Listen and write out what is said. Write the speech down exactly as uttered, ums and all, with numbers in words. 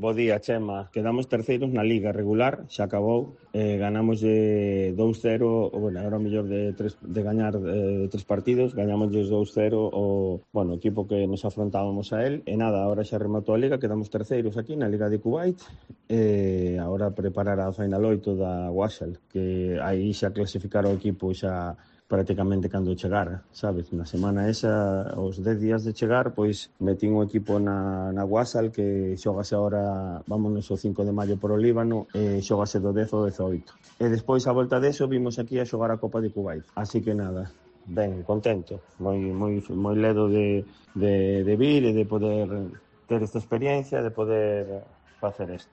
Bo día, Chema. Quedamos terceiros na Liga regular, xa acabou. Eh, ganamos de dous cero, bueno, era o mellor de, tres, de gañar eh, tres partidos, gañamos dous cero o, bueno, o equipo que nos afrontábamos a él. E nada, agora xa rematou a Liga, quedamos terceiros aquí na Liga de Kuwait. E agora preparar a Final oito da Wasal, que aí xa clasificar o equipo xa prácticamente cando chegara, sabes? Na semana esa, os dez días de chegar, pois metín o equipo na, na Wasal, que xogase agora, vámonos o cinco de maio por o Líbano, e xogase do dez ao dezoito. E despois, a volta deso, vimos aquí a xogar a Copa de Kuwait. Así que nada, ben, contento, moi moi moi ledo de, de, de vir e de poder ter esta experiencia, de poder facer isto.